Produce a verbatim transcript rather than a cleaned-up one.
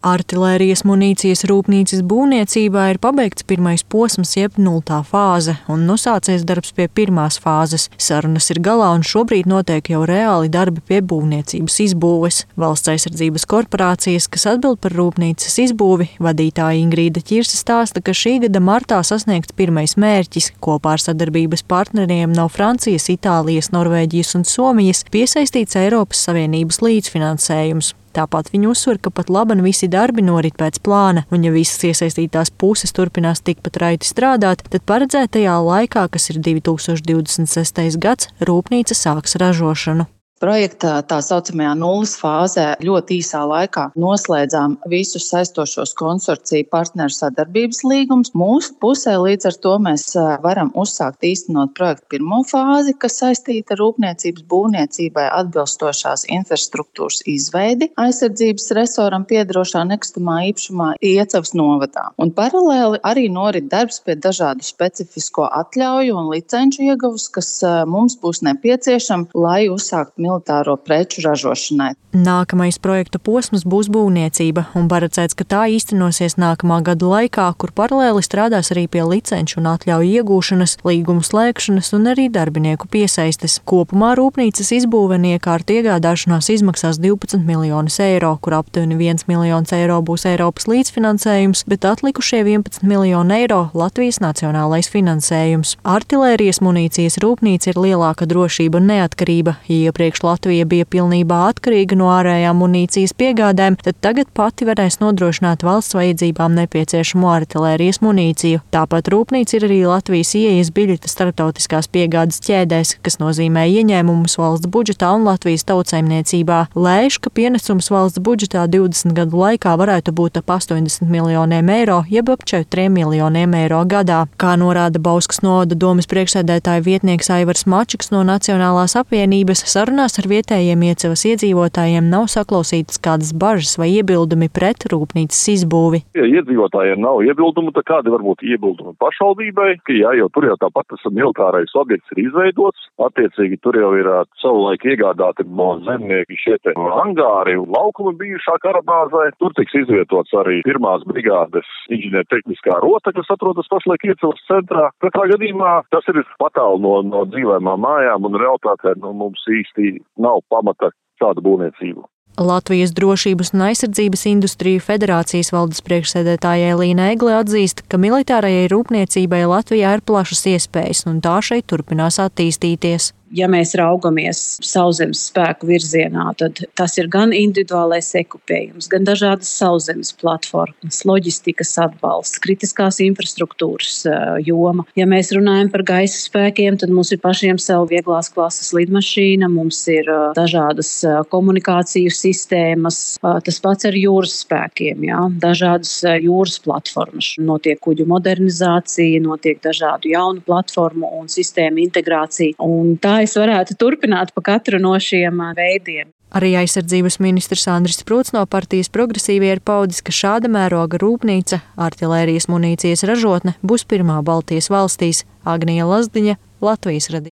Artilērijas munīcijas rūpnīcas būvniecībā ir pabeigts pirmais posms, jeb nultā fāze, un nosācies darbs pie pirmās fāzes. Sarunas ir galā, un šobrīd notiek jau reāli darbi pie būvniecības izbūves. Valsts aizsardzības korporācijas, kas atbild par rūpnīcas izbūvi, vadītāja Ingrīda Ķirse stāsta, ka šī gada martā sasniegts pirmais mērķis. Kopā ar sadarbības partneriem no Francijas, Itālijas, Norvēģijas un Somijas piesaistīts Eiropas Savienības līdzfinansējums. Tāpat viņi uzsver, ka pat laban visi darbi norit pēc plāna, un ja visas iesaistītās puses turpinās tikpat raiti strādāt, tad paredzētajā laikā, kas ir divi tūkstoši divdesmit sestais gads, rūpnīca sāks ražošanu. Projekta tā saucamajā nulles fāzē ļoti īsā laikā noslēdzām visus saistošos konsorciju partneru sadarbības līgumus. Mūsu pusē līdz ar to mēs varam uzsākt īstenot projektu pirmo fāzi, kas saistīta ar rūpniecības būvniecībai atbilstošās infrastruktūras izveidi aizsardzības resoram piederošā nekustamā īpašumā Iecavas novadā. Un paralēli arī norit darbs pie dažādu specifisko atļauju un licenču ieguvus, kas mums būs nepieciešami, lai uzsāktu militāro preču ražošanai. Nākamais projekta posms būs būvniecība, un paredzēts, ka tā īstenosies nākamā gada laikā, kur paralēli strādās arī pie licenču un atļauju iegūšanas, līgumu slēgšanas un arī darbinieku piesaistes. Kopumā rūpnīcas izbūve un iekārtu iegādāšanās izmaksās divpadsmit miljonus eiro, kur aptuveni viens miljons eiro būs Eiropas līdzfinansējums, bet atlikušie vienpadsmit miljoni eiro Latvijas nacionālais finansējums. Artilērijas munīcijas rūpnīca ir lielāka drošība un neatkarība. Iepriekš Latvija bija pilnībā atkarīga no ārējām munīcijas piegādēm, tad tagad pati varēs nodrošināt valsts vajadzībām nepieciešamo artilērijas munīciju. Tāpat rūpnīca ir arī Latvijas ieejas biļete starptautiskās piegādes ķēdēs, kas nozīmē ieņēmumus valsts budžetā un Latvijas tautsaimniecībā. Lēš, ka pienesums valsts budžetā divdesmit gadu laikā varētu būt ap astoņdesmit miljoniem eiro, jeb ap četriem miljoniem eiro gadā. Kā norāda Bauskas novada domes priekšsēdētāja vietnieks Aivars Mačiks no Nacionālās apvienības, sarunās ar vietējiem Iecavas iedzīvotājiem nav saklausītas kādas bažas vai iebildumi pret rūpnīcas izbūvi. Ja iedzīvotājiem nav iebildumu, tad kādi var būt iebildumi pašvaldībai, ka jā, jau tur jau tāpat tas militārais objekts ir izveidots, attiecīgi tur jau ir savulaik iegādāti no zemnieki šie te angāri un laukumi bijušā karabāzē, tur tiks izvietots arī pirmās brigādes inženiertehniskā rota, kas atrodas pašlaik Iecavas centrā. Katrā gadījumā tas ir patālu no, no dzīvēmām mājām un realitātē no mums īsti nav pamata šādu būvniecību. Latvijas drošības un aizsardzības industriju federācijas valdes priekšsēdētāja Elīna Egle atzīst, ka militārajai rūpniecībai Latvijā ir plašas iespējas un tā šeit turpinās attīstīties. Ja mēs raugamies sauszemes spēku virzienā, tad tas ir gan individuālais ekipējums, gan dažādas sauszemes platformas, loģistikas atbalsts, kritiskās infrastruktūras joma. Ja mēs runājam par gaisa spēkiem, tad mums ir pašiem sev vieglās klases lidmašīna, mums ir dažādas komunikāciju sistēmas, tas pats ar jūras spēkiem, jā, dažādas jūras platformas. Notiek kuģu modernizācija, notiek dažādu jaunu platformu un sistēmu integrācija. Un tā es varētu turpināt pa katru no šiem veidiem. Arī aizsardzības ministrs Andris Prūts no partijas Progresīvie ir paudis, ka šāda mēroga rūpnīca, artilērijas munīcijas ražotne, būs pirmā Baltijas valstīs. Agnija Lazdiņa, Latvijas radio.